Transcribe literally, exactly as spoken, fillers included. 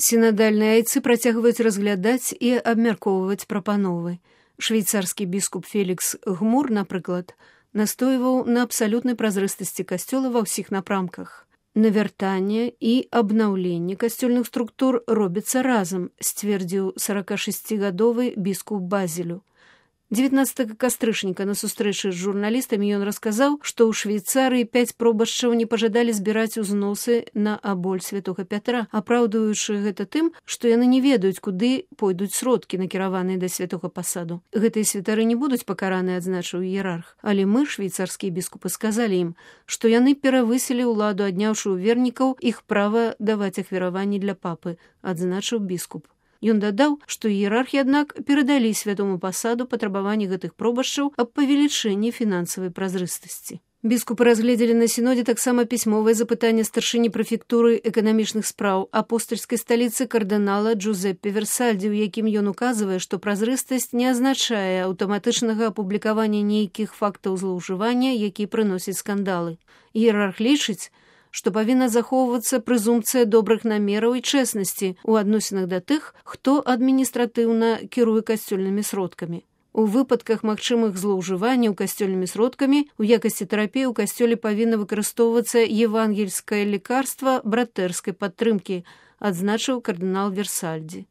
Сінадальныя айцы працягваюць разглядаць і абмяркоўваць прапановы. Швейцарскі біскуп Фелікс Гмур, напрыклад, настойваў на абсалютнай празрыстасці касцёла ва ўсіх напрамках. Навяртанне і абнаўленне касцёльных структур робіцца разам, сцвердзіў саракашасцігадовы біскуп Базелю. дзевятнаццатага кастрычніка на сустрэчы з журналістамі ён расказаў, што ў Швейцарыі пяць пробашчаў не пажадалі збіраць узносы на аболь святога Пятра, апраўдваючы гэта тым, што яны не ведаюць, куды пойдуць сродкі, накіраваныя да святога пасаду. Гэтыя святары не будуць пакараныя, адзначыў іерарх, але мы, швейцарскія біскупы, сказалі ім, што яны перавысілі ўладу, адняўшы ў вернікаў іх права даваць ахвяраванні для папы, адзначыў біскуп. Ён дадаў, што іерархі, аднак, перадалі святому пасаду патрабаванні гэтых пробашчаў аб павелічэнні фінансавай празрыстасці. Біскупы разгледзелі на сінодзе таксама пісьмовае запытанне старшыні прэфектуры эканамічных спраў апостальскай сталіцы кардынала Джузеппе Версальдзі, у якім ён указвае, што празрыстасць не азначае аўтаматычнага апублікавання нейкіх фактаў злоўжывання, які прыносяць скандалы. Іерарх лічыць, што павінна захоўвацца прэзумпцыя добрых намераў і чэснасці ў адносінах да тых, хто адміністратыўна кіруе касцёльнымі сродкамі. У выпадках магчымых злоўжыванняў касцёльнымі сродкамі у якасці тэрапіі ў касцёле павінна выкарыстоўвацца евангельскае лекарства братэрскай падтрымкі, адзначыў кардынал Версальдзі.